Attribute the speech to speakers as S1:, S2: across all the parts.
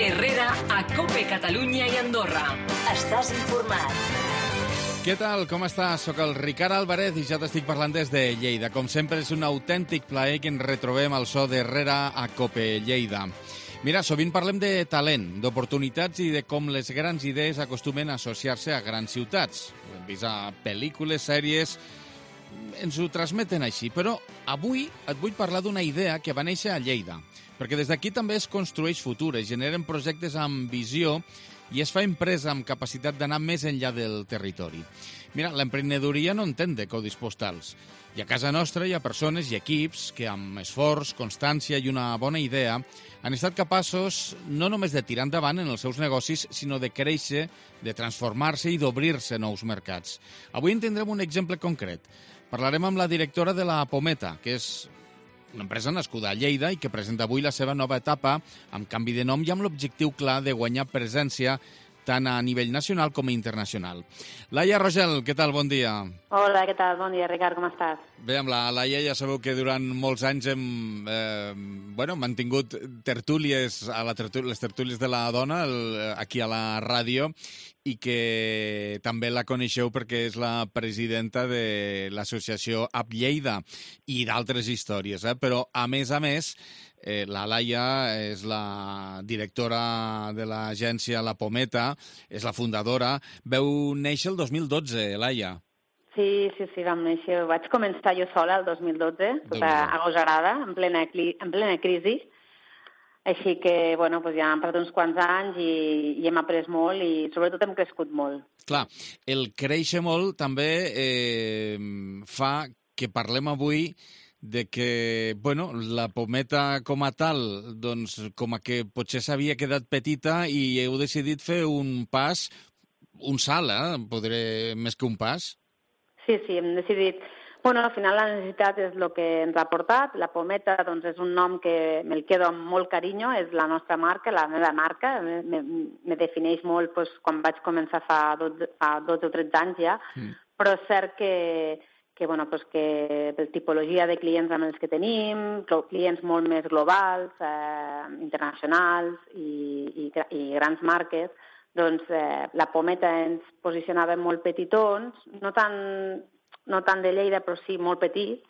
S1: Herrera a COPE Catalunya i Andorra. Estàs informat.
S2: Què tal? Com estàs? Soc el Ricard Álvarez i ja t'estic parlant des de Lleida. Com sempre, és un autèntic plaer que ens retrobem al so d'Herrera a COPE Lleida. Mira, sovint parlem de talent, d'oportunitats i de com les grans idees acostumen a associar-se a grans ciutats. Ho hem vist a pel·lícules, sèries, ens ho transmeten així. Però avui et vull parlar d'una idea que va néixer a Lleida, perquè des d'aquí també es construeix futur, es generen projectes amb visió i es fa empresa amb capacitat d'anar més enllà del territori. Mira, l'emprenedoria no entén de codis postals. I a casa nostra hi ha persones i equips que amb esforç, constància i una bona idea han estat capaços no només de tirar endavant en els seus negocis, sinó de créixer, de transformar-se i d'obrir-se nous mercats. Avui en tindrem un exemple concret. Parlarem amb la directora de la Pometa, que és una empresa nascuda a Lleida i que presenta avui la seva nova etapa amb canvi de nom i amb l'objectiu clar de guanyar presència tant a nivell nacional com internacional. Laia Rogel, què tal? Bon dia.
S3: Hola, què tal? Bon dia, Ricard, com estàs?
S2: Bé, amb la Laia ja sabeu que durant molts anys hem mantingut tertúlies, les tertúlies de la dona aquí a la ràdio i que també la coneixeu perquè és la presidenta de l'associació App Lleida i d'altres històries, però a més, la Laia és la directora de l'agència La Pometa, és la fundadora. Veu néixer el 2012, Laia.
S3: Sí, vam néixer. Vaig començar jo sola el 2012, tota agosarada, en plena crisi. Així que, ja han passat uns quants anys i hem après molt i sobretot hem crescut molt.
S2: Clar, el créixer molt també fa que parlem avui de que, la Pometa com a tal, doncs, com a que potser s'havia quedat petita i heu decidit fer un pas, un salt, més que un pas.
S3: Sí, hem decidit. Al final la necessitat és el que ens ha portat. La Pometa, doncs, és un nom que me'l quedo amb molt carinyo, és la nostra marca, la meva marca, me defineix molt quan vaig començar fa 12 o 13 anys ja, però és cert que per tipologia de clients amb els que tenim, clients molt més globals, internacionals i grans marques, doncs la Pometa ens posicionava molt petitons, no tant de Lleida, però sí molt petits,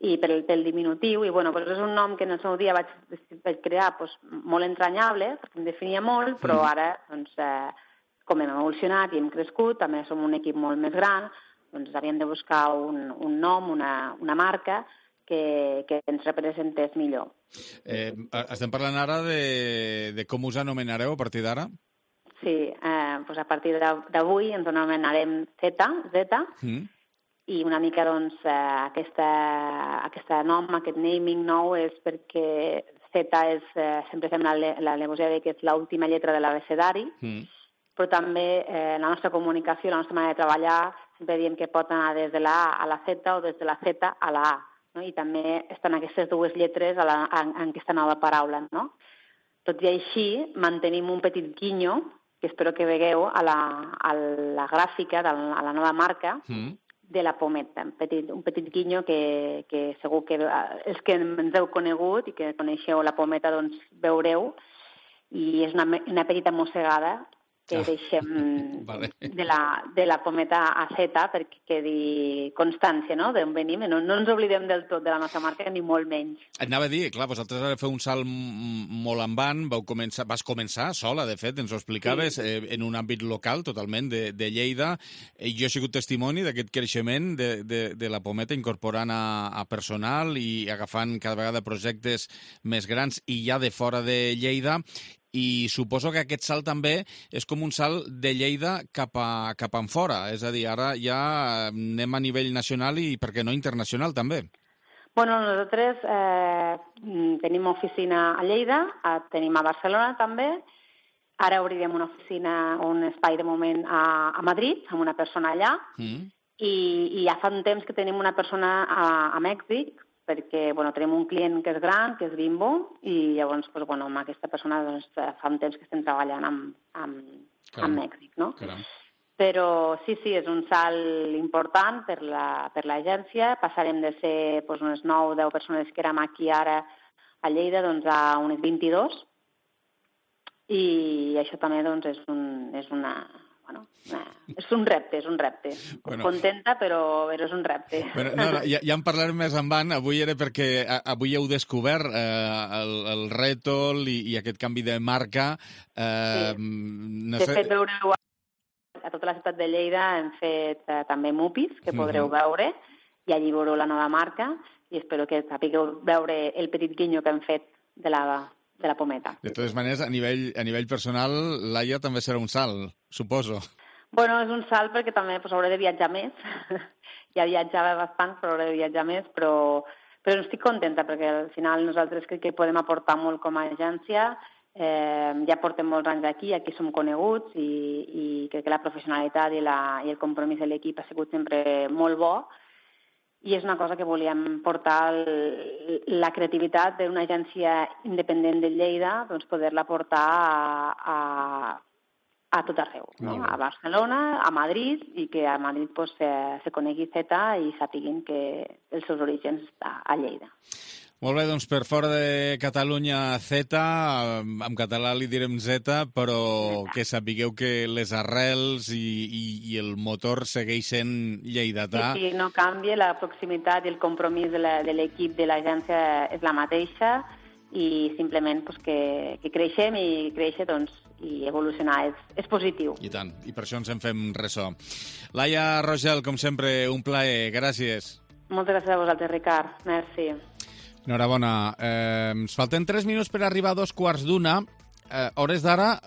S3: i pel diminutiu, i és un nom que en el seu dia vaig crear molt entranyable, perquè em definia molt, però ara, com hem evolucionat i hem crescut, també som un equip molt més gran, doncs havíem de buscar un nom, una marca que ens representés millor.
S2: Estem parlant ara de com us anomenareu a partir d'ara?
S3: Sí, a partir d'avui ens anomenarem Z, i una mica aquest naming nou és perquè Z sempre fem l'al·legoria que és l'última lletra de l'abecedari, però també la nostra comunicació, la nostra manera de treballar, sempre diem que pot anar des de la A a la Z o des de la Z a la A, no? I també estan aquestes dues lletres en aquesta nova paraula, no? Tot i així, mantenim un petit guinyo, que espero que vegueu a la gràfica, a la nova marca, de la Pometa, un petit guinyo que segur que els que ens heu conegut i que coneixeu la Pometa doncs veureu, i és una petita mossegada que deixem de la Pometa a Z perquè quedi constància, no?, d'on venim. No ens oblidem del tot de la nostra marca, ni molt menys.
S2: Et anava a dir, clar, vosaltres ara feu un salt molt en van, vas començar sola, de fet, ens ho explicaves, en un àmbit local totalment de Lleida. Jo he sigut testimoni d'aquest creixement de la Pometa, incorporant a personal i agafant cada vegada projectes més grans i ja de fora de Lleida. I suposo que aquest salt també és com un salt de Lleida cap en fora. És a dir, ara ja anem a nivell nacional i, per què no, internacional també.
S3: Nosaltres tenim oficina a Lleida, tenim a Barcelona també. Ara obrirem una oficina, un espai de moment a Madrid, amb una persona allà. I ja fa un temps que tenim una persona a Mèxic, perquè tenim un client que és gran, que és Bimbo, i llavors amb aquesta persona fa un temps que estem treballant amb Mèxic, no?
S2: Caram.
S3: Però sí, és un salt important per l'agència. Passarem de ser unes 9 o 10 persones que érem aquí ara a Lleida a unes 22. i això també doncs, és un repte. Bueno, contenta, però és un repte.
S2: Bueno, ja en parlarem més endavant. Avui era perquè avui heu descobert el rètol i aquest canvi de marca.
S3: Sí. De fet, veureu a tota la ciutat de Lleida hem fet també mupis, que podreu veure, i allí veureu la nova marca, i espero que sapigueu veure el petit guinyo que hem fet de la pometa.
S2: De totes maneres, a nivell personal, Laia també serà un salt, suposo.
S3: Bueno, és un salt perquè també hauré de viatjar més. Ja viatjava bastant, però hauré de viatjar més, però estic contenta perquè al final nosaltres crec que podem aportar molt com a agència. Ja portem molts anys aquí som coneguts i crec que la professionalitat i el compromís de l'equip ha sigut sempre molt bo. I és una cosa que volíem portar, la creativitat d'una agència independent de Lleida, doncs poder-la portar a tot arreu, no? A Barcelona, a Madrid, i que a Madrid pues, se conegui Zeta i sàpiguin que els seus orígens està a Lleida.
S2: Molt bé, doncs per fora de Catalunya Zeta, en català li direm Zeta, però que sapigueu que les arrels i el motor segueixen lleidatà.
S3: Sí, no canvia, la proximitat i el compromís de l'equip de l'agència és la mateixa i simplement pues, que creixem i créixer doncs, i evolucionar és positiu.
S2: I tant, i per això ens en fem ressò. Laia Rogel, com sempre, un plaer. Gràcies.
S3: Moltes gràcies a vosaltres, Ricard. Merci.
S2: Enhorabona. Ens falten 3 minuts per arribar a 2:15. Hores d'ara,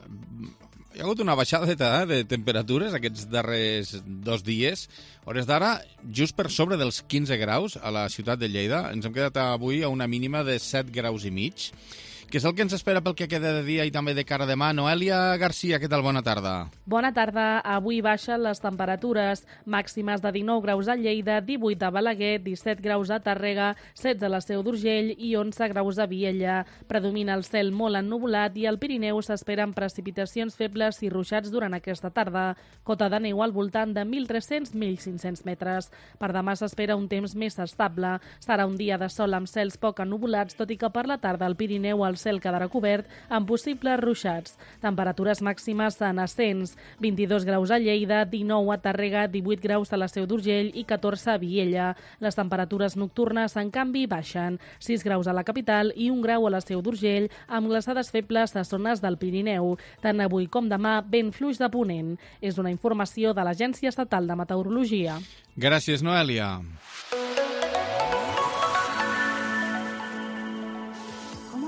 S2: hi ha hagut una baixada de temperatures aquests darrers 2 dies. Hores d'ara, just per sobre dels 15 graus a la ciutat de Lleida. Ens hem quedat avui a una mínima de 7 graus i mig. Què és el que ens espera pel que queda de dia i també de cara a demà? Noelia Garcia, què tal? Bona tarda.
S4: Bona tarda. Avui baixen les temperatures màximes de 19 graus a Lleida, 18 a Balaguer, 17 graus a Tàrrega, 16 a la Seu d'Urgell i 11 graus a Vielha. Predomina el cel molt ennuvolat i al Pirineu s'esperen precipitacions febles i ruixats durant aquesta tarda. Cota de neu al voltant de 1.300-1.500 metres. Per demà s'espera un temps més estable. Serà un dia de sol amb cels poc ennuvolats, tot i que per la tarda al Pirineu el cel quedarà cobert amb possibles ruixats. Temperatures màximes en ascens. 22 graus a Lleida, 19 a Tàrrega, 18 graus a la Seu d'Urgell i 14 a Vielha. Les temperatures nocturnes, en canvi, baixen. 6 graus a la capital i 1 grau a la Seu d'Urgell, amb glaçades febles a zones del Pirineu. Tant avui com demà, vent fluix de ponent. És una informació de l'Agència Estatal de Meteorologia.
S2: Gràcies, Noelia.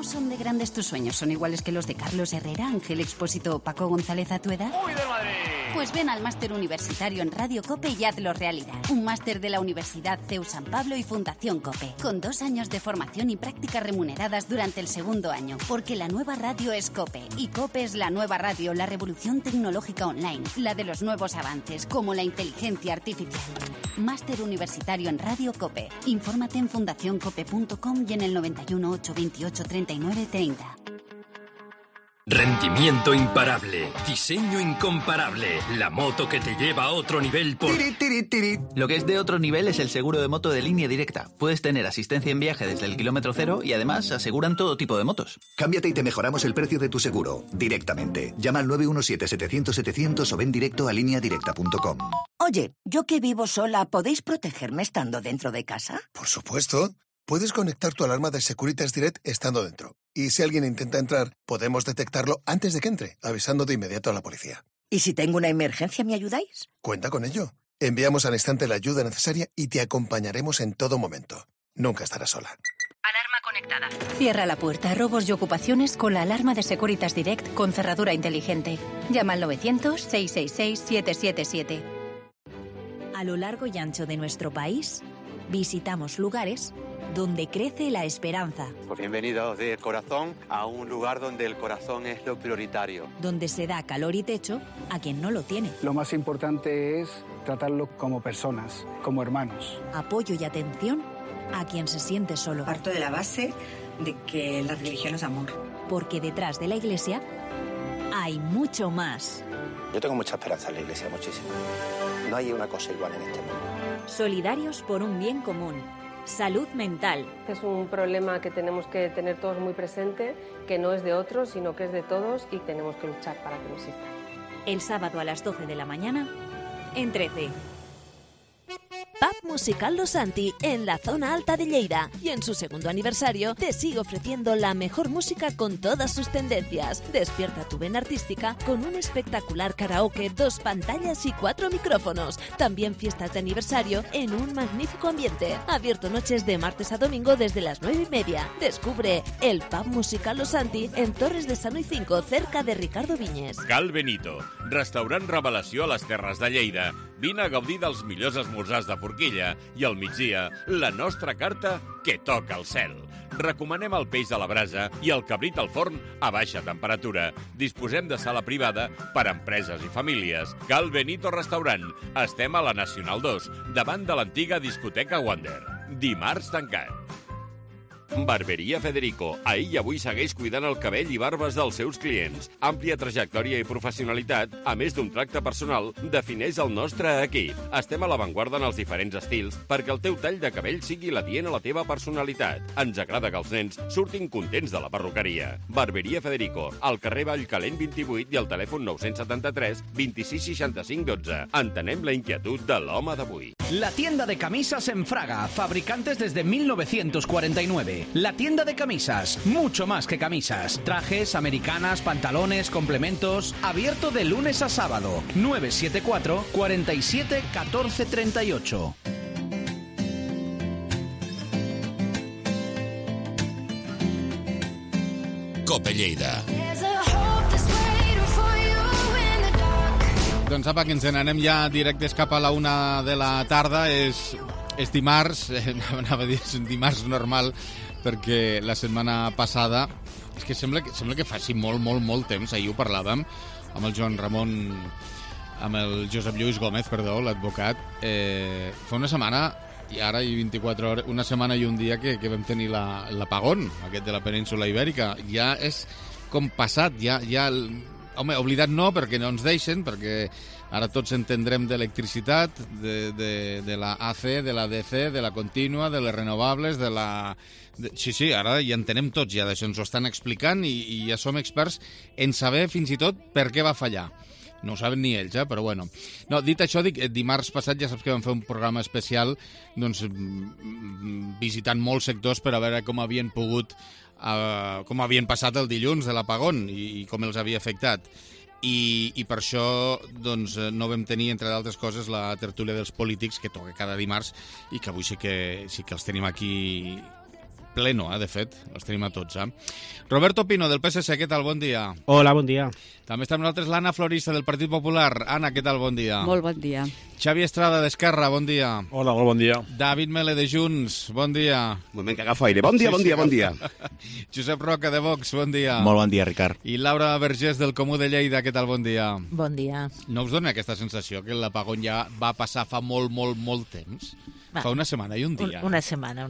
S5: ¿Son de grandes tus sueños? ¿Son iguales que los de Carlos Herrera, Ángel Expósito o Paco González a tu edad?
S6: ¡Uy, del Madrid!
S5: Pues ven al máster universitario en Radio COPE y hazlo realidad. Un máster de la Universidad CEU San Pablo y Fundación COPE, con 2 años de formación y prácticas remuneradas durante el segundo año. Porque la nueva radio es COPE, y COPE es la nueva radio, la revolución tecnológica online, la de los nuevos avances, como la inteligencia artificial. Máster universitario en Radio COPE. Infórmate en fundacioncope.com y en el 91 828 39 30.
S7: Rendimiento imparable, diseño incomparable, la moto que te lleva a otro nivel por...
S8: Lo que es de otro nivel es el seguro de moto de Línea Directa. Puedes tener asistencia en viaje desde el kilómetro cero y además aseguran todo tipo de motos.
S9: Cámbiate y te mejoramos el precio de tu seguro, directamente. Llama al 917-700-700 o ven directo a lineadirecta.com.
S10: Oye, yo que vivo sola, ¿podéis protegerme estando dentro de casa?
S11: Por supuesto. Puedes conectar tu alarma de Securitas Direct estando dentro. Y si alguien intenta entrar, podemos detectarlo antes de que entre, avisando de inmediato a la policía.
S10: ¿Y si tengo una emergencia, me ayudáis?
S11: Cuenta con ello. Enviamos al instante la ayuda necesaria y te acompañaremos en todo momento. Nunca estarás sola.
S1: Alarma conectada.
S5: Cierra la puerta a robos y ocupaciones con la alarma de Securitas Direct con cerradura inteligente. Llama al 900-666-777.
S12: A lo largo y ancho de nuestro país, visitamos lugares donde crece la esperanza.
S13: Pues bienvenidos de corazón a un lugar donde el corazón es lo prioritario.
S12: Donde se da calor y techo a quien no lo tiene.
S14: Lo más importante es tratarlos como personas, como hermanos.
S12: Apoyo y atención a quien se siente solo.
S15: Parto de la base de que la religión es amor.
S12: Porque detrás de la iglesia hay mucho más.
S16: Yo tengo mucha esperanza en la iglesia, muchísima. No hay una cosa igual en este mundo.
S12: Solidarios por un bien común. Salud mental.
S6: Es un problema que tenemos que tener todos muy presente, que no es de otros, sino que es de todos y tenemos que luchar para que no exista.
S12: El sábado a las 12 de la mañana, en 13.
S17: Pub Musical Los Santi, en la zona alta de Lleida. Y en su segundo aniversario te sigue ofreciendo la mejor música con todas sus tendencias. Despierta tu vena artística con un espectacular karaoke, 2 pantallas y 4 micrófonos. También fiestas de aniversario en un magnífico ambiente. Abierto noches de martes a domingo desde las 9:30. Descubre el Pub Musical Los Santi en Torres de Sano y 5, cerca de Ricardo Viñes.
S18: Cal Benito, restaurant revelació a les Terres de Lleida. Vine a gaudir dels millors esmorzars de forquilla i al migdia la nostra carta que toca el cel. Recomanem el peix a la brasa i el cabrit al forn a baixa temperatura. Disposem de sala privada per a empreses i famílies. Cal Benito Restaurant. Estem a la Nacional 2, davant de l'antiga discoteca Wander. Dimarts tancat. Barberia Federico. Ahir i avui segueix cuidant el cabell i barbes dels seus clients. Àmplia trajectòria i professionalitat, a més d'un tracte personal, defineix el nostre equip. Estem a l'avantguarda en els diferents estils perquè el teu tall de cabell sigui l'adient a la teva personalitat. Ens agrada que els nens surtin contents de la perruqueria. Barberia Federico, al carrer Vallcalent 28 i al telèfon 973 26 65 12. Entenem la inquietud de l'home d'avui.
S19: La tienda de camisas en Fraga, fabricantes desde 1949. La tienda de camisas, mucho más que camisas. Trajes, americanas, pantalones, complementos. Abierto de lunes a sábado. 974 47 14 38.
S7: Cope Lleida.
S2: Doncs apa, que ens n'anem ja directes cap a la 1 de la tarda. És dimarts, anava a dir, és un dimarts normal, perquè la setmana passada és que sembla que faci molt temps. Ahir ho parlàvem amb el Joan Ramon, amb el Josep Lluís Gómez, perdó, l'advocat. Fa una setmana i ara i 24 hores, una setmana i un dia que vam tenir l'apagón aquest de la península Ibèrica. Ja és com passat, ja home, oblidat no, perquè no ens deixen, perquè ara tots entendrem d'electricitat, de la AC, de la DC, de la contínua, de les renovables, de la... Sí, ara ja entenem tots, ja d'això ens ho estan explicant i ja som experts en saber fins i tot per què va fallar. No ho saben ni ells, però bueno. No, dit això, dimarts passat ja saps que vam fer un programa especial doncs, visitant molts sectors per a veure com havien pogut, com havien passat el dilluns de l'apagón i com els havia afectat. I per això doncs, no vam tenir, entre d'altres coses, la tertúlia dels polítics que toca cada dimarts i que avui sí que els tenim aquí pleno, de fet, els tenim a tots. Roberto Pino, del PSC, què tal? Bon dia.
S20: Hola, bon dia.
S2: També està amb nosaltres l'Anna Florista, del Partit Popular. Anna, què tal? Bon dia.
S21: Molt bon dia.
S2: Xavi Estrada, d'Esquerra, bon dia.
S22: Hola, molt bon dia.
S2: David Mele, de Junts, bon dia.
S22: Un moment que agafo aire. Bon dia.
S2: Josep Roca, de Vox, bon dia.
S23: Molt bon dia, Ricard.
S2: I Laura Vergés, del Comú de Lleida, què tal? Bon dia.
S24: Bon dia.
S2: No us dona aquesta sensació que l'apagón ja va passar fa molt temps? Fa una setmana i un dia.
S24: Una setmana,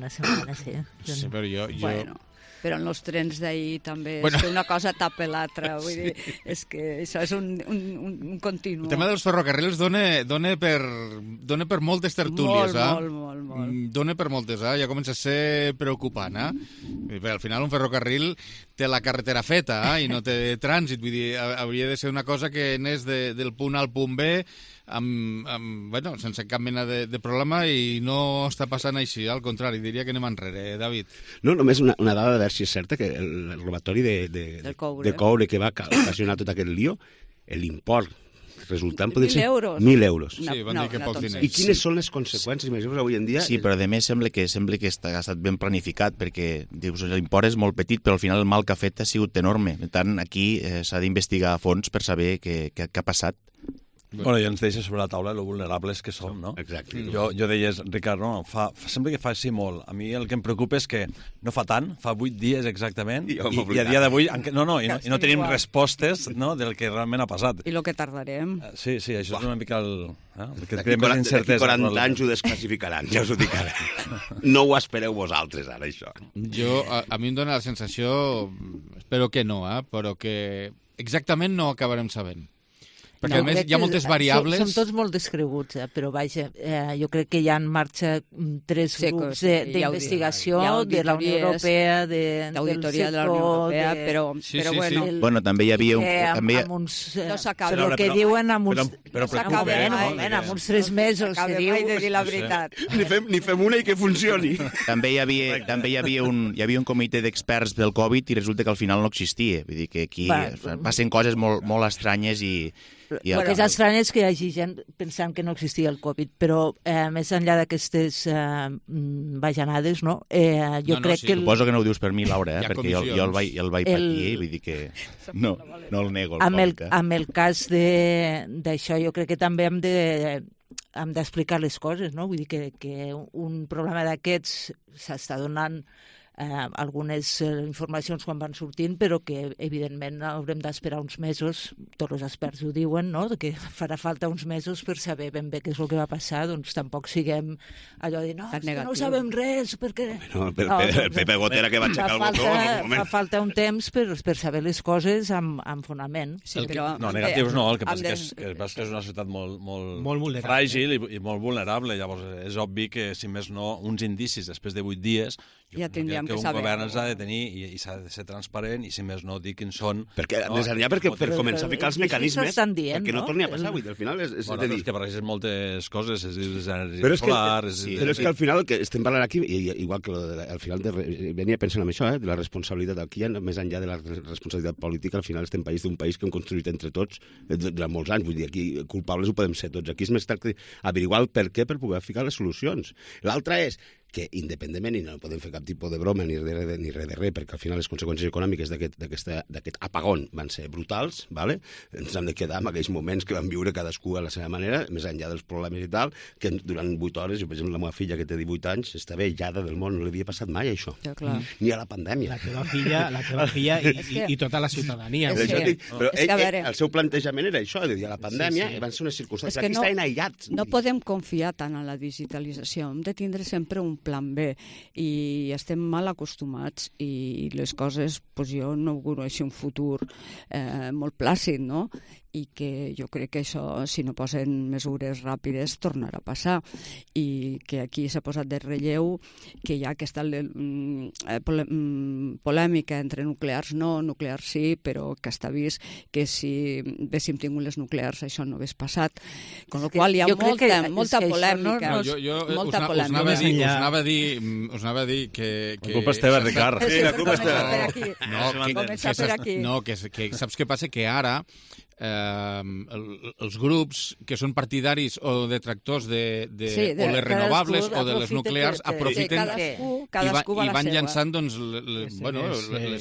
S24: sí.
S2: Sí, però jo...
S21: Bueno, però en els trens d'ahir també és que una cosa tapa l'altra. Vull dir, és que això és un continu.
S2: El tema dels ferrocarrils dona per moltes tertúlies.
S21: Molt.
S2: Dona per moltes, ja comença a ser preocupant. Al final un ferrocarril té la carretera feta i no té trànsit. Vull dir, hauria de ser una cosa que anés del punt A al punt B sense cap mena de problema i no està passant així, al contrari, diria que anem enrere, David.
S22: No, només una dada de veure si és certa que el robatori de coure que va ocasionar tot aquest lío, l'import resultant podria ser 1.000 euros.
S2: Sí, van dir que pocs diners.
S22: I quines són les conseqüències, imaginem avui en dia?
S23: Sí, però a més sembla que ha estat ben planificat, perquè dius, l'import és molt petit, però al final el mal que ha fet ha sigut enorme. Per tant, aquí s'ha d'investigar a fons per saber què ha passat.
S22: Bueno, i ens deixa sobre la taula lo vulnerables que som, no?
S23: Exacte.
S22: Jo deies, Ricard, no, sembla que faci molt. A mi el que em preocupa és que no fa tant, fa 8 dies exactament, i a dia d'avui no tenim respostes del que realment ha passat.
S21: I el que tardarem.
S22: Sí, això és una mica el que
S16: creem més incertesa. D'aquí 40 anys ho desclassificaran, ja us ho dic ara. No ho espereu vosaltres, ara, això.
S2: A mi em dóna la sensació, espero que no, però que exactament no acabarem sabent. Perquè, a més, hi ha moltes variables...
S3: Són tots molt descreguts, però vaja, jo crec que hi ha en marxa 3 grups d'investigació de la Unió Europea,
S21: d'auditoria de la Unió Europea, però bueno...
S23: Bueno, també hi havia...
S21: No s'acaba.
S3: Però el que diuen amb uns...
S22: Però preocupa,
S3: amb uns 3 mesos, que diu...
S21: de dir la veritat.
S16: Ni fem una i que funcioni.
S23: També hi havia un comitè d'experts del Covid i resulta que al final no existia. Vull dir que aquí passen coses molt estranyes i...
S3: El que és estrany és que hi hagi gent pensant que no existia el Covid, però més enllà d'aquestes bajanades, no? Jo crec que...
S23: Suposo que no ho dius per mi, Laura, perquè jo el vaig patir, vull dir que no el nego.
S3: Amb el cas d'això, jo crec que també hem d'explicar les coses, no? Vull dir que un problema d'aquests s'està donant algunes informacions quan van sortint, però que evidentment haurem d'esperar uns mesos, tots els experts ho diuen, no? Que farà falta uns mesos per saber ben bé què és el que va passar, doncs tampoc siguem allò de no sabem res, perquè...
S16: Pepe Gotera que va aixecar el botó...
S3: Fa falta un temps per saber les coses amb fonament.
S22: No, negatius no, el que passa que és una societat molt fràgil i molt vulnerable, llavors és obvi que, si més no, uns indicis després de 8 dies
S21: ja tindríem
S22: que un govern els ha de tenir i s'ha de ser transparent i, si més no, dir quins són...
S16: Perquè, més enllà, per començar a ficar els mecanismes, perquè no torni a passar, vull dir, al final és de dir...
S22: És que barregen moltes coses, és energia solar...
S16: Però és que al final el que estem parlant aquí, igual que al final venia pensant en això, de la responsabilitat aquí, més enllà de la responsabilitat política, al final estem d'un país que hem construït entre tots durant molts anys, vull dir, aquí culpables ho podem ser tots. Aquí és més tracte d'averiguar el per què per poder ficar les solucions. L'altre és que, independentment, i no podem fer cap tipus de broma ni res de res, perquè al final les conseqüències econòmiques d'aquest apagón van ser brutals, ¿vale? Ens hem de quedar en aquells moments que vam viure cadascú a la seva manera, més enllà dels problemes i tal, que durant 8 hores, per exemple, la meva filla, que té 18 anys, estava aïllada del món, no li havia passat mai això.
S21: Ja,
S16: ni a la pandèmia.
S4: La teva filla i tota la ciutadania.
S16: Però el seu plantejament era això, de dir, a la pandèmia van ser unes circumstàncies que estaven aïllats.
S21: No podem confiar tant en la digitalització, hem de tindre sempre un plan B i estem mal acostumats i les coses, doncs jo no auguro així un futur molt plàcid, no? I que jo crec que això, si no posen mesures ràpides, tornarà a passar. I que aquí s'ha posat de relleu que hi ha aquesta polèmica entre nuclears no, nuclears sí, però que està vist que si haguéssim tingut les nuclears això no hagués passat. Con la qual hi ha molta polèmica.
S2: Us anava a dir que...
S22: La culpa és teva, Ricard.
S16: Sí, la culpa és teva.
S2: No, que saps què passa? Que ara els grups que són partidaris o detractors de les renovables o de les nuclears aprofiten i van llançant les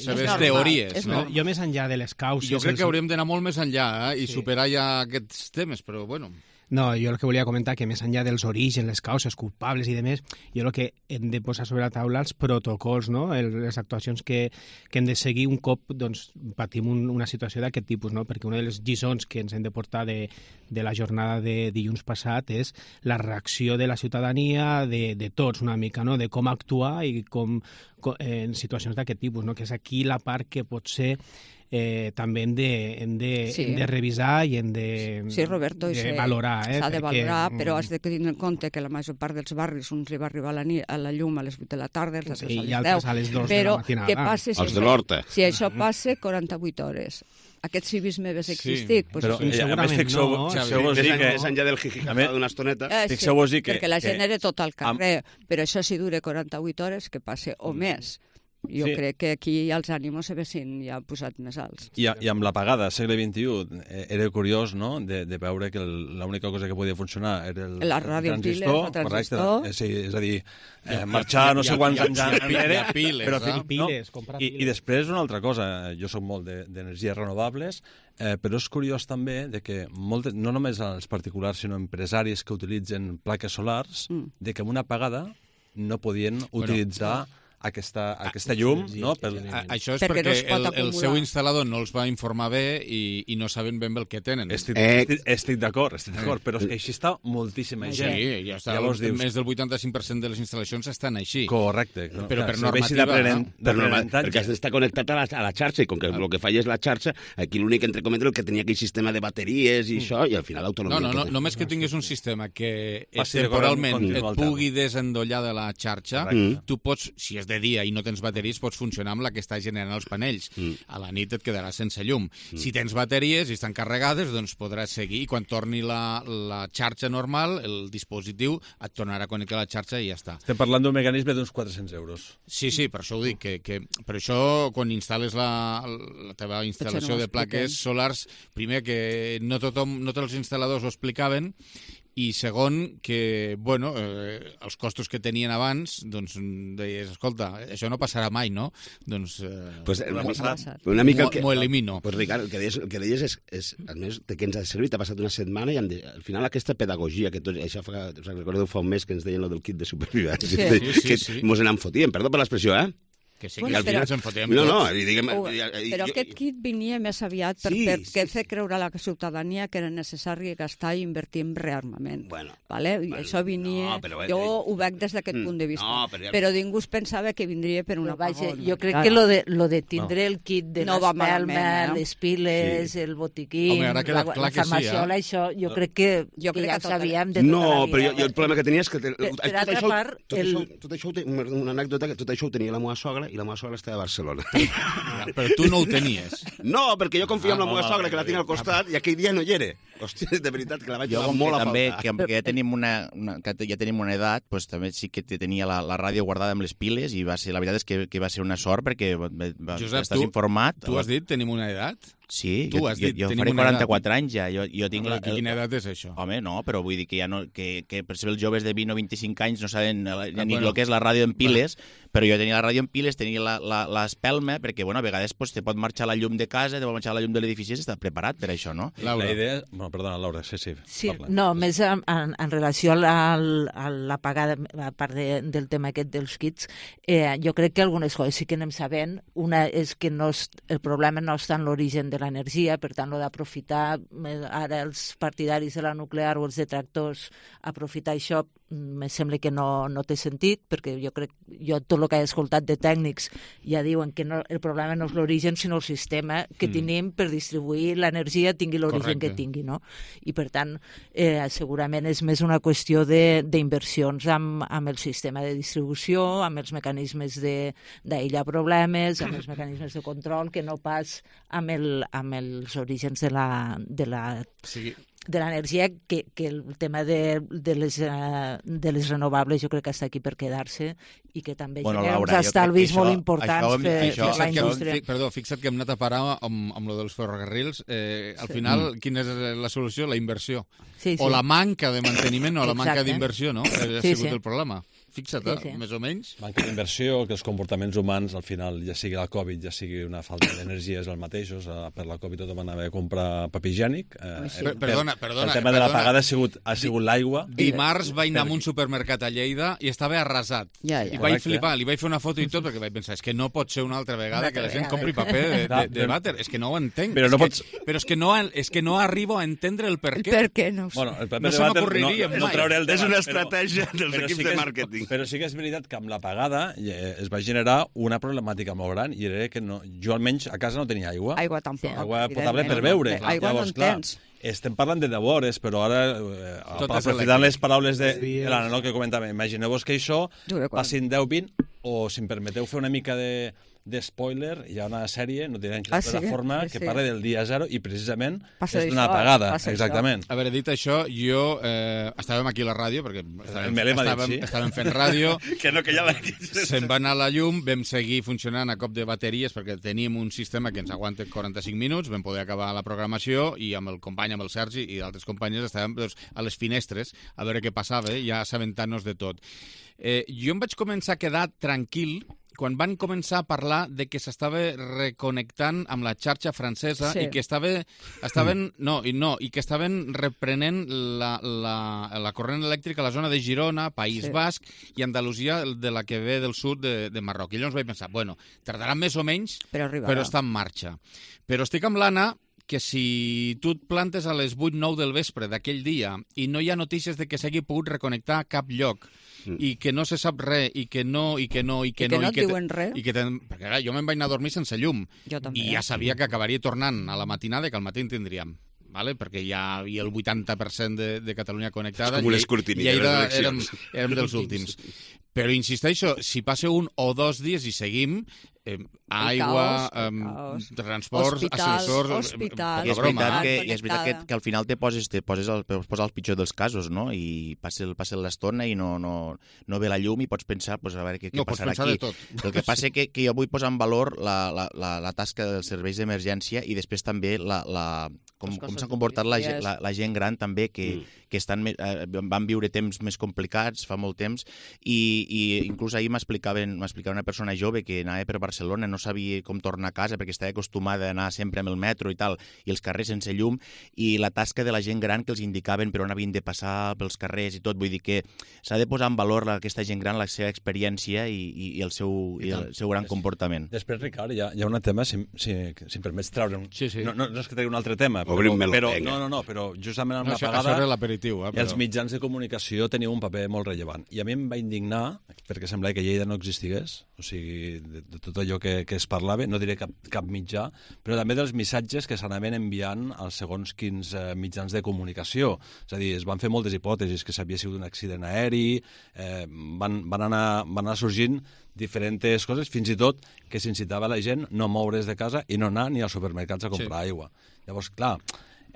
S2: seves teories.
S4: Jo més enllà de les causes...
S2: Jo crec que hauríem d'anar molt més enllà i superar ja aquests temes, però bueno...
S4: No, jo el que volia comentar que més enllà dels orígens, les causes culpables i demés, jo el que hem de posar sobre la taula els protocols, no? Les actuacions que hem de seguir un cop patim una situació d'aquest tipus, no? Perquè una de les lliçons que ens hem de portar de la jornada de dilluns passat és la reacció de la ciutadania, de tots una mica, no? De com actuar i com en situacions d'aquest tipus, no? Que és aquí la part que potser també hem de revisar i hem de valorar.
S21: S'ha de valorar, però has de tenir en compte que la major part dels barris uns hi va arribar a la llum a les 8 de la tarda, els altres
S4: a les 10,
S21: a
S4: les 2 de la matinada.
S16: Els de l'Horta.
S21: Si això passa, 48 hores. Aquest civisme hagués existit.
S22: Però segurament no.
S16: Més enllà del jijijaja d'una estoneta.
S21: Perquè la gent era tot al carrer, però això si dura 48 hores, que passe o més. Jo crec que aquí els ànimos s'haguessin ja posat més alts.
S22: I amb l'apagada, segle XXI, era curiós, no?, de veure que l'única cosa que podia funcionar era el transistor. Sí, és a dir, marxar no sé quants anys enrere. I després una altra cosa, jo soc molt d'energies renovables, però és curiós també que no només els particulars, sinó empresaris que utilitzen plaques solars, de que amb una apagada no podien utilitzar aquesta llum, no?
S2: Això és perquè el seu instal·lador no els va informar bé i no saben ben bé el que tenen.
S22: Estic d'acord, però així està moltíssima gent.
S2: Sí, ja està. Més del 85% de les instal·lacions estan així.
S22: Correcte.
S2: Però per normativa...
S16: Perquè està connectat a la xarxa, i com que el que falla és la xarxa, aquí l'únic, entre cometes, el que tenia aquell sistema de bateries i això, i al final l'autonomia...
S2: No, només que tinguis un sistema que temporalment et pugui desendollar de la xarxa, tu pots, si és de dia i no tens bateries, pots funcionar amb la que està generant els panells. A la nit et quedaràs sense llum. Si tens bateries i estan carregades, doncs podràs seguir, i quan torni la xarxa normal, el dispositiu et tornarà a connectar a la xarxa i ja està.
S22: Estem parlant d'un mecanisme d'uns 400 euros.
S2: Sí, per això ho dic, que per això quan instal·les la teva instal·lació de plaques solars, primer que no tots els instal·ladors ho explicaven, i segon, que, bueno, els costos que tenien abans, doncs deies, escolta, això no passarà mai, no? Doncs
S16: una mica
S2: m'ho elimino.
S16: Pues, Ricard, el que deies és almenys de què ens ha servit, ha passat una setmana i al final aquesta pedagogia, que tots, això recordeu fa un mes que ens deien el del kit de supervivència, que mos n'en fotíem, perdó per l'expressió,
S2: Que sí, que al final se'n fotíem
S21: però aquest kit venia més aviat perquè fer creure a la ciutadania que era necessari gastar i invertir en rearmament. I això venia... Jo ho veig des d'aquest punt de vista. Però ningú es pensava que vindria per una cosa.
S3: Jo crec que lo de tindre el kit de l'espelma, les piles, el botiquín, la farmaciola, això, jo crec que ja ho sabíem de tota la vida.
S16: No, però jo el problema que tenia és que... Tot això, una anècdota, que tot això ho tenia la meva sogra, i la meva sogra estava a Barcelona.
S2: Però tu no ho tenies.
S16: No, perquè jo confio en la meva sogra, que la tinc al costat, i aquell dia no hi era. Hòstia, de veritat, que la vaig trobar molt a faltar.
S23: Que ja tenim una edat, doncs també sí que tenia la ràdio guardada amb les piles, i la veritat és que va ser una sort, perquè estàs informat.
S2: Tu has dit tenim una edat?
S23: Sí, jo faré 44 anys ja.
S2: Quina edat és això?
S23: Home, no, però vull dir que per exemple els joves de 20 o 25 anys no saben ni el que és la ràdio en piles, però jo tenia la ràdio en piles, tenia l'espelma, perquè a vegades te pot marxar la llum de casa, te pot marxar la llum de l'edifici, i està preparat per això, no?
S22: La idea... Bueno, perdona, Laura, sí.
S3: No, més en relació a l'apagada, a part del tema aquest dels kits, jo crec que algunes coses sí que anem sabent. Una és que el problema no està en l'origen de l'energia, per tant, d'aprofitar ara els partidaris de la nuclear o els detractors, aprofitar això, me sembla que no té sentit, perquè jo crec, tot el que he escoltat de tècnics ja diuen que el problema no és l'origen, sinó el sistema que tenim per distribuir l'energia, tingui l'origen que tingui, no? I per tant, segurament és més una qüestió d'inversions amb el sistema de distribució, amb els mecanismes d'aïllar problemes, amb els mecanismes de control, que no pas amb els orígens de l'energia, que el tema de les renovables jo crec que està aquí per quedar-se i que també genera uns estalvis molt importants per la indústria.
S2: Perdó, fixa't que hem anat a parar amb lo dels ferrocarrils. Al final, quina és la solució? La inversió. O la manca de manteniment o la manca d'inversió, no? Ha sigut el problema. Fixa't, més o menys.
S22: Manca d'inversió, que els comportaments humans, al final, ja sigui la Covid, ja sigui una falta d'energia, és el mateix. Per la Covid tothom anava a comprar paper higiènic.
S2: Perdona.
S22: El tema de l'apagada ha sigut l'aigua.
S2: Dimarts vaig anar a un supermercat a Lleida i estava arrasat. I vaig flipar, li vaig fer una foto i tot, perquè vaig pensar, és que no pot ser una altra vegada que la gent compri paper de vàter. És que no ho entenc. Però és que no arribo a entendre el per què.
S21: Per què no?
S22: Bueno, el paper de vàter no trauré el debat.
S16: És una estratègia dels equips de màrqueting.
S22: Però sí que és veritat que amb l'apagada es va generar una problemàtica molt gran, i era que jo almenys a casa no tenia aigua.
S21: Aigua tampoc.
S22: Aigua potable per beure.
S21: Aigua no en tens.
S22: Estem parlant de 10 hores, però ara, aprofitant les paraules de l'Anna, que comentava, imagineu-vos que això passin 10-20, o si em permeteu fer una mica de spoiler, hi ha una sèrie, no diré en quina plataforma, que parla del dia zero i precisament és d'una apagada. Exactament.
S2: A veure, dit això, jo... estàvem aquí a la ràdio, perquè estàvem fent ràdio, se'n va anar la llum, vam seguir funcionant a cop de bateries, perquè teníem un sistema que ens aguanta 45 minuts, vam poder acabar la programació, i amb el company, amb el Sergi i d'altres companys, estàvem a les finestres a veure què passava, ja assabentant-nos de tot. Jo em vaig començar a quedar tranquil quan van començar a parlar de que s'estava reconnectant amb la xarxa francesa i que estaven reprenent la corrent elèctrica a la zona de Girona, País Basc i Andalusia, de la que ve del sud de Marroc. I llavors vaig pensar, bueno, tardarà més o menys, però està en marxa. Però estic amb l'Anna que si tu et plantes a les 8-9 del vespre d'aquell dia i no hi ha notícies de que s'hagi pogut reconnectar a cap lloc i que no se sap res i que no et
S21: diuen res.
S2: Perquè jo me'n vaig anar a dormir sense llum i ja sabia que acabaria tornant a la matinada i que al matí en tindríem. Vale? Perquè ja hi havia el 80% de Catalunya connectada i érem dels últims. Però insisteixo, si passa 1 o 2 dies i seguim, aigua, transports, ascensors...
S21: Hospital.
S23: I és veritat que al final te poses al pitjor dels casos, no? I passa l'estona i no ve la llum i pots pensar, a veure què passarà aquí. El que passa és que jo vull posar en valor la tasca dels serveis d'emergència i després també com s'ha comportat la gent gran també, que van viure temps més complicats fa molt temps i inclús ahir m'explicava una persona jove que anava per Barcelona, no sabia com tornar a casa perquè estava acostumada a anar sempre amb el metro i tal, i els carrers sense llum, i la tasca de la gent gran que els indicaven per on havien de passar pels carrers i tot. Vull dir que s'ha de posar en valor aquesta gent gran, la seva experiència i el seu gran comportament.
S22: Després, Ricard, hi ha un tema, si em permets treure no és que tregui un altre tema, però justament amb l'apagada els mitjans de comunicació tenien un paper molt rellevant. I a mi em va indignar, perquè semblava que Lleida no existigués, o sigui, de tot allò que es parlava, no diré cap mitjà, però també dels missatges que s'anaven enviant als segons quins mitjans de comunicació. És a dir, es van fer moltes hipòtesis, que s'havia sigut un accident aeri, van anar sorgint diferents coses, fins i tot que s'incitava la gent no moure's de casa i no anar ni als supermercats a comprar aigua. Llavors, clar,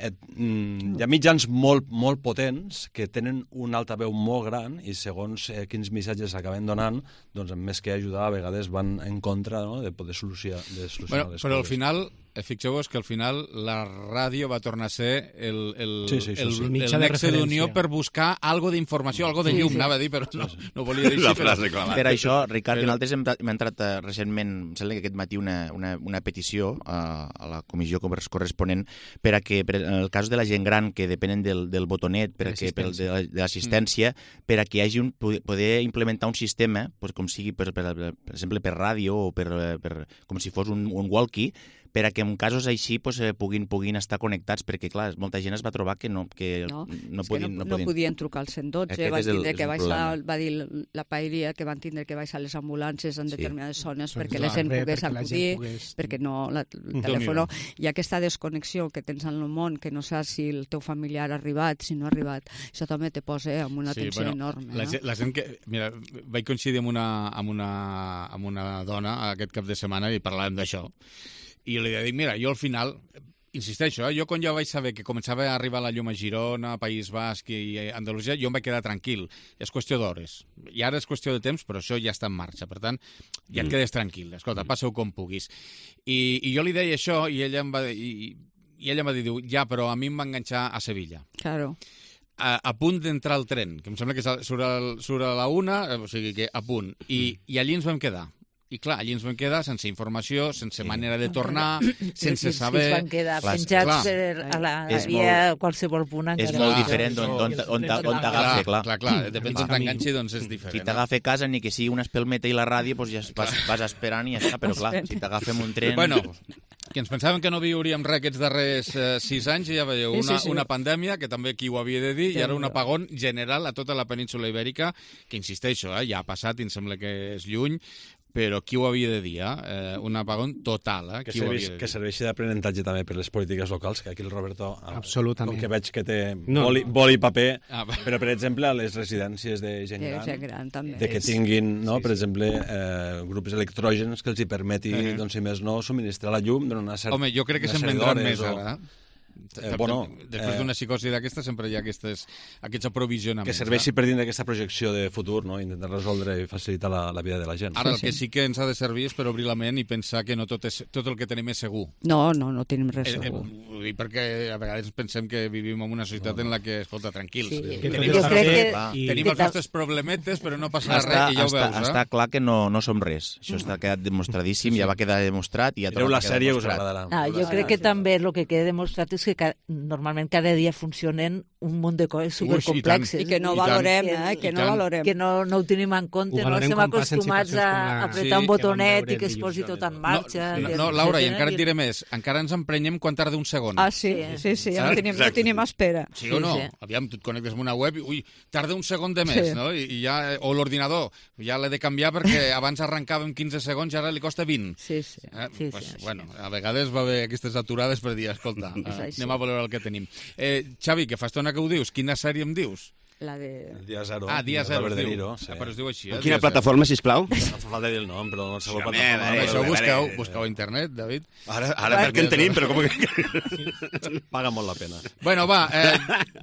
S22: hi ha mitjans molt potents que tenen un altaveu molt gran i segons quins missatges s'acaben donant, doncs més que ajudar, a vegades van en contra de poder solucionar les coses.
S2: Però al final, fixeu-vos que al final la ràdio va tornar a ser el nexe d'unió per buscar algo d'informació, algo de llum, anava a dir, però no volia dir així.
S23: Per això, Ricard, nosaltres hem entrat recentment, em sembla que aquest matí, una petició a la comissió corresponent per a que, en el cas de la gent gran que depenen del botonet, de l'assistència, per a que hi hagi poder implementar un sistema, com sigui, per exemple, per ràdio o com si fos un walkie, per a que en casos així puguin estar connectats, perquè, clar, molta gent es va trobar que no
S21: podien trucar al 112, va dir la paeria que van tindre que baixar les ambulàncies en determinades zones perquè la gent pogués acudir, perquè el telèfon... Hi ha aquesta desconnexió que tens en el món, que no saps si el teu familiar ha arribat, si no ha arribat. Això també te posa amb una tensió enorme.
S2: La gent que... Mira, vaig coincidir amb una dona aquest cap de setmana i parlàvem d'això. I li dic, mira, jo al final, insisteixo, jo quan ja vaig saber que començava a arribar la llum a Girona, País Basc i Andalusia, jo em vaig quedar tranquil. És qüestió d'hores. I ara és qüestió de temps, però això ja està en marxa. Per tant, ja et quedes tranquil. Escolta, passa-ho com puguis. I jo li deia això i ella em va dir, ja, però a mi em va enganxar a Sevilla.
S21: Claro.
S2: A punt d'entrar al tren, que em sembla que surt a la 1, o sigui que a punt. I allí ens vam quedar. I clar, allí ens vam quedar sense informació, sense manera de tornar, sense saber...
S3: Ens van quedar penjats a la via a qualsevol punt.
S23: És molt diferent on t'agafa, clar.
S2: Clar, depèn d'on t'enganxi, doncs és diferent.
S23: Si t'agafa a casa, ni que sigui una espelmeta i la ràdio, doncs ja vas esperant i ja està, però clar, si t'agafa un tren...
S2: Bueno, que ens pensàvem que no viuríem res aquests darrers 6 anys i ja veieu, una pandèmia, que també qui ho havia de dir, i ara un apagón general a tota la península ibèrica, que insisteixo, ja ha passat i em sembla que és lluny, però qui ho havia de dir, un apagón total.
S22: Que serveixi d'aprenentatge també per les polítiques locals, que aquí el Roberto, com que veig que té boli i paper, però per exemple a les residències de gent gran, de que tinguin, per exemple, grups electrògens que els hi permeti, si més no, subministrar la llum durant una certa...
S2: Home, jo crec que se'n vendran més ara. Després d'una psicosi d'aquesta sempre hi ha aquests aprovisionaments.
S22: Que serveixi per dins d'aquesta projecció de futur, no? Intentar resoldre i facilitar la vida de la gent.
S2: Ara, el que sí que ens ha de servir és per obrir la ment i pensar que no tot el que tenim és segur.
S21: No tenim res segur.
S2: Vull dir, perquè a vegades pensem que vivim en una societat en la que, escolta, tranquils, tenim els nostres problemetes, però no passa res, i ja ho veus.
S23: Està clar que no som res. Això està quedat demostradíssim, ja va quedar demostrat i ja
S22: torna a quedar demostrat. Us agradarà.
S3: Jo crec que també el que queda demostrat és que normalment cada dia funcionen un munt de coses supercomplexes.
S21: I que no valorem, que
S3: no ho tenim en compte, no estem acostumats a apretar un botonet i que es posi tot en marxa.
S2: No, Laura, i encara et diré més, encara ens emprenyem quan tarda un segon.
S21: Sí, no tenim espera.
S2: Sí o no? Aviam, tu et connectes amb una web i, tarda un segon de més, no? I ja, o l'ordinador, ja l'he de canviar perquè abans arrencàvem 15 segons i ara li costa 20. Bueno, a vegades va haver aquestes aturades per dir, escolta, anem a valorar el que tenim. Xavi, que fa estona que ho dius, quina sèrie em dius?
S21: La de...
S22: Dia Zero.
S2: Dia Zero
S22: es diu.
S2: Però es diu així.
S16: Quina plataforma, sisplau?
S22: No fa falta dir el nom, però no sabeu plataforma.
S2: Això busqueu a internet, David.
S16: Ara perquè en tenim, però com que...
S22: Paga molt la pena.
S2: Bueno, va,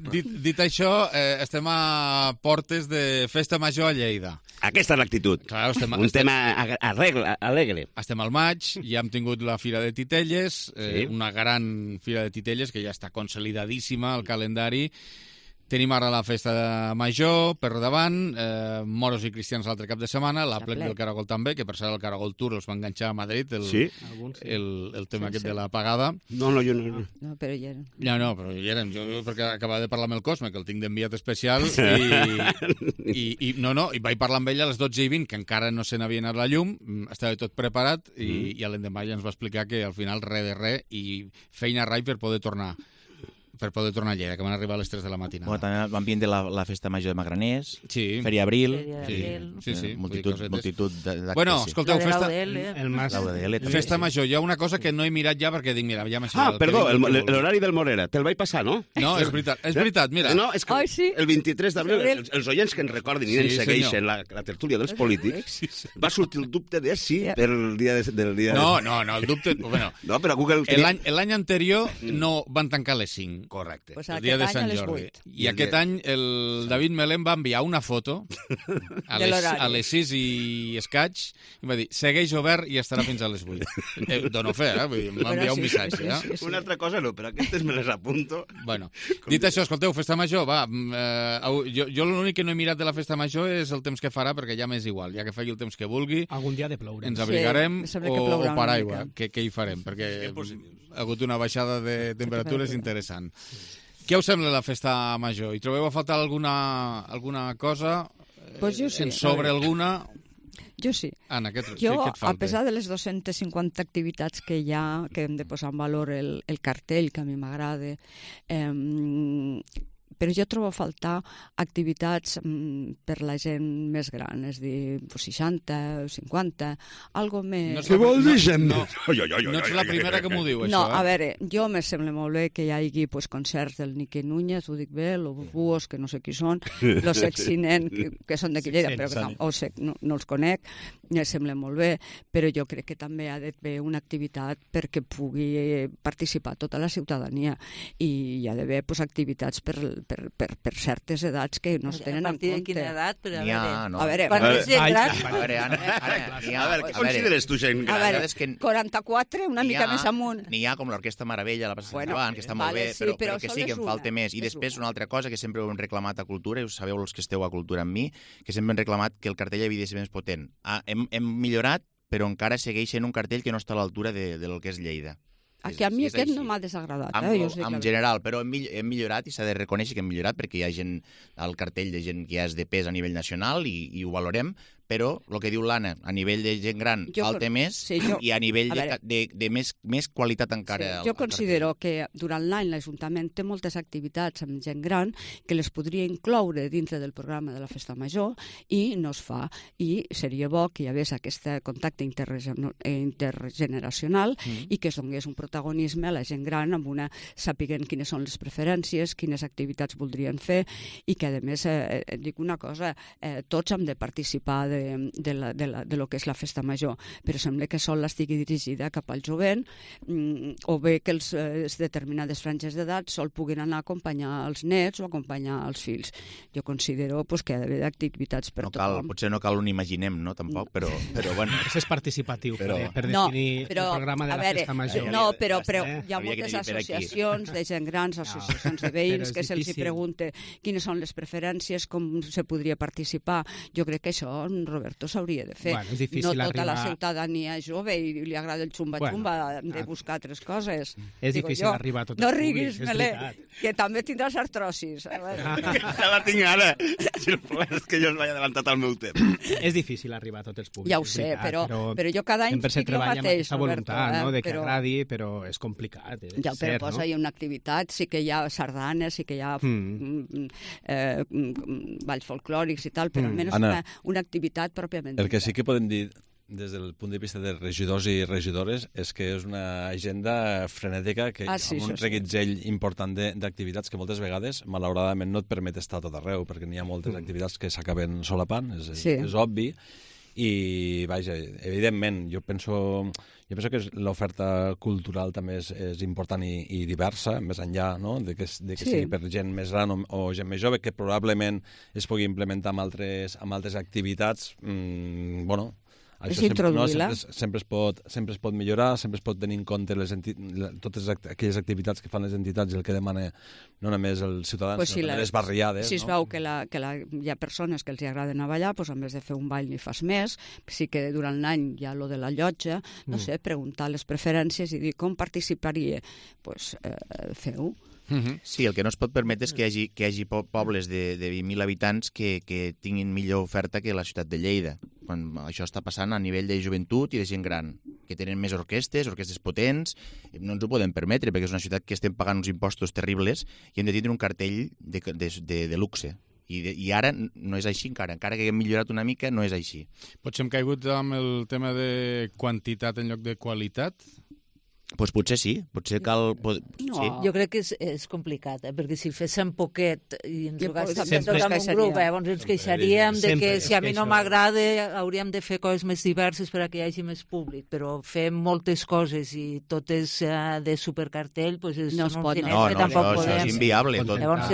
S2: dit això, estem a portes de Festa Major a Lleida.
S16: Aquesta és l'actitud. Un tema alegre.
S2: Estem al maig, ja hem tingut la Fira de Titelles, una gran Fira de Titelles que ja està consolidadíssima al calendari. Tenim ara la Festa Major per davant, moros i cristians l'altre cap de setmana, la plec del Caragol també, que per cert el Caragol Tour els va enganxar a Madrid, el tema aquest de la pagada.
S16: No, jo no.
S21: No, però hi eren.
S2: No, però hi eren. Jo perquè acabava de parlar amb el Cosme, que el tinc d'enviat especial, i vaig parlar amb ell a les 12:20, que encara no se n'havia anat la llum, estava tot preparat, i a l'endemà ja ens va explicar que al final res de res, i feina rai per poder tornar a Lleida, que van arribar a les 3 de la matinada.
S23: Bueno, també l'ambient de la Festa Major de Magraners,
S2: sí.
S23: Feria Abril,
S2: sí.
S23: multitud d'actes.
S2: Bueno, escolteu,
S23: Festa
S2: Major, hi ha una cosa que no he mirat ja perquè dic, mira, ja m'ha
S16: sigut... perdó, l'horari del Morera, te'l vaig passar, no?
S2: No, és veritat, mira.
S16: No, és que el 23 d'abril, els oients que ens recordin i ens segueixen la tertúlia dels polítics, va sortir el dubte de si per el dia del dia...
S2: No, el dubte...
S16: No, però Google...
S2: L'any anterior no van tancar les 5.
S16: Correcte.
S21: Pues
S2: el dia de Sant Jordi. I aquest any el David Melén va enviar una foto a les 6 i escaig i va dir, segueix obert i estarà fins a les 8. Dono fe, m'ha enviat un missatge.
S16: Una altra cosa no, però aquestes me les apunto.
S2: Bueno, dit això, escolteu, Festa Major, va, jo l'únic que no he mirat de la Festa Major és el temps que farà, perquè ja m'és igual, ja que faci el temps que vulgui.
S4: Algun dia de ploure.
S2: Ens abrigarem o paraigua, que hi farem, perquè ha hagut una baixada de temperatures interessant. Què us sembla la Festa Major? Hi trobeu a faltar alguna cosa?
S21: Pues jo sí.
S2: En sobre alguna?
S21: Jo sí.
S2: Anna, què et falta?
S21: A pesar de les 250 activitats que hi ha, que hem de posar en valor el cartell, que a mi m'agrada, però jo trobo a faltar activitats per la gent més gran, és a dir, 60, 50, algo més...
S16: Què vol dir gent?
S2: No ets la primera que m'ho diu, això.
S21: No, a veure, jo me sembla molt bé que hi hagi concerts del Niqui Núñez, ho dic bé, los Búhos, que no sé qui són, los Exinen, que són d'aquí Lleida, però que no els conec, me sembla molt bé, però jo crec que també ha d'haver una activitat perquè pugui participar tota la ciutadania i hi ha d'haver activitats per certes edats que no es tenen en compte.
S3: A partir de quina edat?
S21: A veure,
S16: què consideres tu gent gran?
S21: A veure, 44, una mica més amunt.
S23: N'hi ha com l'Orquestra Meravella, la Plaça Sant Joan, que està molt bé, però que sí, que en falta més. I després una altra cosa que sempre hem reclamat a Cultura, i us sabeu els que esteu a Cultura amb mi, que sempre hem reclamat que el cartell havia de ser més potent. Hem millorat, però encara segueix sent un cartell que no està a l'altura del que és Lleida.
S21: A mi aquest no m'ha desagradat.
S23: En general, però hem millorat i s'ha de reconèixer que hem millorat perquè hi ha gent al cartell de gent que ja és de pes a nivell nacional i ho valorem, però el que diu l'Anna, a nivell de gent gran falta més i a nivell de més qualitat encara.
S21: Jo considero que durant l'any l'Ajuntament té moltes activitats amb gent gran que les podria incloure dintre del programa de la Festa Major i no es fa. I seria bo que hi hagués aquest contacte intergeneracional i que es donés un protagonisme a la gent gran amb sapiguent quines són les preferències, quines activitats voldrien fer i que, a més, dic una cosa, tots hem de participar de lo que és la festa major, però sembla que sol estigui dirigida cap al jovent, o bé que els determinades franges d'edat sol puguin anar a acompanyar els nets o acompanyar els fills. Jo considero que ha d'haver activitats per tothom.
S23: Potser no cal un imaginem, no, tampoc, però bueno.
S4: És participatiu, per definir el programa de la festa major.
S21: No, però hi ha moltes associacions de gent grans, associacions de veïns, que se'ls pregunta quines són les preferències, com se podria participar. Jo crec que això, Roberto, s'hauria de fer. No tota la ciutadania és jove i li agrada el xumba-xumba, de buscar altres coses.
S4: És difícil arribar a tots els
S21: públics. No riguis, Melé, que també tindràs artrosis.
S16: Ja la tinc ara. Si el problema és que jo us vaig adelantat al meu temps.
S4: És difícil arribar a tots els públics.
S21: Ja ho sé, però jo cada any
S4: sempre se treballa amb aquesta voluntat, de que agradi, però és complicat.
S21: Ja, però posa-hi una activitat, sí que hi ha sardanes, sí que hi ha balls folclòrics i tal, però almenys una activitat pròpiament.
S22: El que sí que podem dir des del punt de vista de regidors i regidores és que és una agenda frenètica amb un reguitzell important d'activitats que moltes vegades, malauradament, no et permet estar a tot arreu, perquè n'hi ha moltes activitats que s'acaben solapant, és obvi, i, vaja, evidentment, jo penso que l'oferta cultural també és important i diversa, més enllà de que sigui per gent més gran o gent més jove, que probablement es pugui implementar amb altres activitats, sempre es pot millorar, sempre es pot tenir en compte totes aquelles activitats que fan les entitats i el que demana no només els ciutadans, sinó també les barriades.
S21: Si es veu que hi ha persones que els agrada anar a ballar, doncs en vez de fer un ball n'hi fas més. Sí que durant l'any hi ha lo de la llotja, no sé, preguntar les preferències i dir com participaria, doncs feu-ho.
S23: Sí, el que no es pot permetre és que hi hagi pobles de 20.000 habitants que tinguin millor oferta que la ciutat de Lleida. Quan això està passant a nivell de joventut i de gent gran, que tenen més orquestres potents, no ens ho podem permetre, perquè és una ciutat que estem pagant uns impostos terribles i hem de tindre un cartell de luxe. I ara no és així encara que haguem millorat una mica, no és així.
S2: Potser hem caigut amb el tema de quantitat en lloc de qualitat?
S23: Doncs potser sí, potser cal...
S3: No, jo crec que és complicat, perquè si féssim poquet i ens ho gastéssim tot en un grup, llavors ens queixaríem de que si a mi no m'agrada hauríem de fer coses més diverses per que hi hagi més públic, però fem moltes coses i totes de supercartell, doncs
S21: no es pot.
S23: No, això és inviable.
S3: Llavors,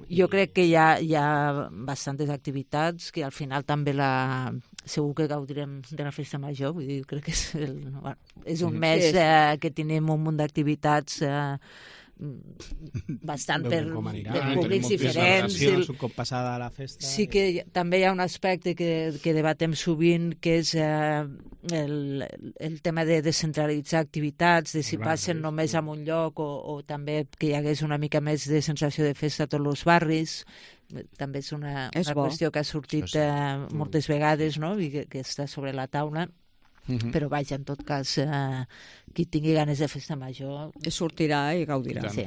S3: jo crec que hi ha bastantes activitats que al final també segur que gaudirem de la festa major, vull dir, crec que és un mes que tenim un munt d'activitats bastant per públics diferents.
S4: Un cop passada la festa.
S3: Sí que també hi ha un aspecte que debatem sovint, que és el tema de descentralitzar activitats, de si passen només en un lloc o també que hi hagués una mica més de sensació de festa a tots els barris. També és una qüestió que ha sortit moltes vegades, no? I que està sobre la taula. Però vaja, en tot cas, qui tingui ganes de festa major...
S21: sortirà i gaudirà.
S3: Sí.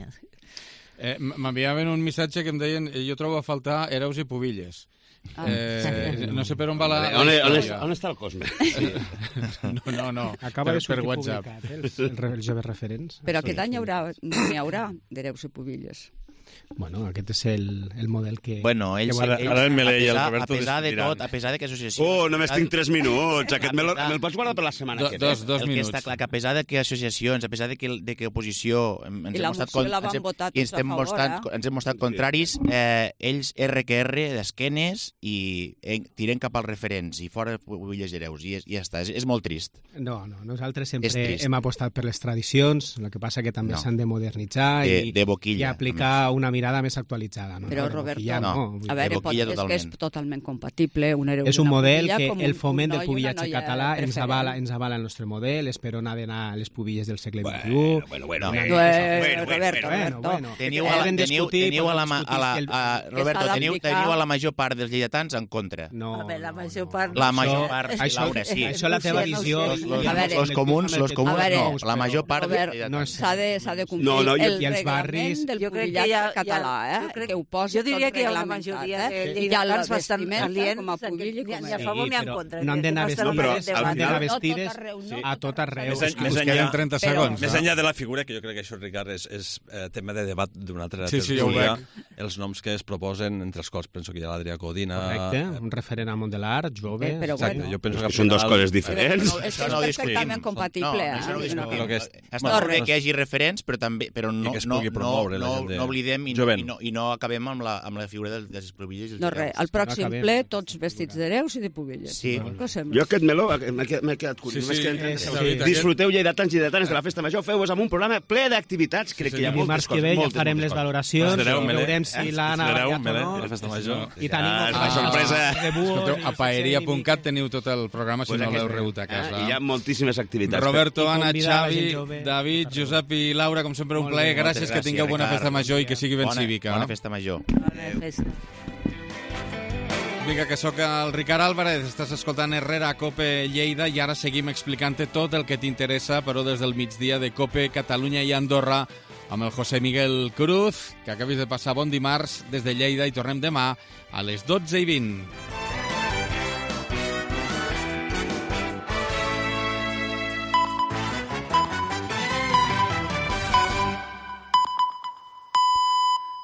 S2: M'enviaven un missatge que em deien jo trobo a faltar hereus i pubilles. No sé per on va la història.
S16: On està el Cosme?
S2: No.
S4: Acaba de sortir
S2: WhatsApp.
S4: Publicat, els joves referents.
S21: Però aquest any n'hi haurà d'hereus i pubilles.
S4: Bueno, aquest és el model que...
S23: Bueno, ells
S22: ara el Melé i el Roberto
S23: a pesar de que associacions...
S16: Oh, només tinc 3 minuts. Aquest me'l pots guardar per la setmana que ve.
S2: Dos minuts.
S23: El que està clar, que a pesar de que associacions, a pesar de que oposició ens hem mostrat contraris, ells RQR d'esquenes i tiren cap als referents i fora pubilles i hereus. I ja està, és molt trist.
S4: No, nosaltres sempre hem apostat per les tradicions, el que passa que també s'han de modernitzar i aplicar una mirada més actualitzada. No?
S21: Però, Roberto, a veure, és que és totalment compatible.
S4: És un model que el foment del pubillatge català ens avala el nostre model, és per on ha d'anar les pubilles del segle XXI.
S23: Roberto, teniu a la major part dels lleidatans en contra.
S3: No. La major part,
S23: Laura, sí.
S4: Això la teva visió...
S23: Els comuns, no. La major part...
S21: S'ha de complir
S4: i els barris...
S3: Jo crec que
S21: català, que ho posa tot reglamentat.
S3: Jo diria que hi ha una majoria de lleidatanos bastant aliens,
S21: com a públic i com
S3: ni a favor ni en contra.
S4: No han d'anar vestides a tot arreu.
S2: Us queden 30 segons.
S22: Més enllà de la figura, que jo crec que això, Ricard, és tema de debat d'una altra
S2: tertúlia,
S22: els noms que es proposen, entre els quals penso que hi ha l'Adrià Codina...
S4: Correcte, un referent al món de l'art, jove...
S22: Exacte, jo penso que
S16: són dues coses diferents.
S21: Això és perfectament compatible.
S23: Està bé que hi hagi referents, però no oblidem i no acabem amb la figura dels pubilles.
S21: No res, al pròxim ple tots vestits d'hereus i de pubilles.
S23: Sí.
S16: Jo aquest meló m'he quedat curiós. Disfruteu lleidatans i lleidatanes de la Festa Major, feu-vos amb un programa ple d'activitats. Crec que hi ha moltes coses.
S4: Que ve ja farem les valoracions, veurem si l'Anna ha ballat o no.
S22: La Festa Major.
S4: I tenim
S16: una sorpresa.
S2: A paeria.cat teniu tot el programa si no l'heu rebut a casa.
S16: Hi ha moltíssimes activitats.
S2: Roberto, Anna, Xavi, David, Josep i Laura, com sempre un plaer. Gràcies, que tingueu bona Festa Major i que sigui ben cívica.
S23: Bona Festa Major.
S3: Bona festa.
S2: Vinga, que sóc el Ricard Álvarez, estàs escoltant Herrera a COPE Lleida i ara seguim explicant-te tot el que t'interessa, però des del migdia de COPE Catalunya i Andorra amb el José Miguel Cruz, que acabis de passar bon dimarts des de Lleida i tornem demà a les 12:20.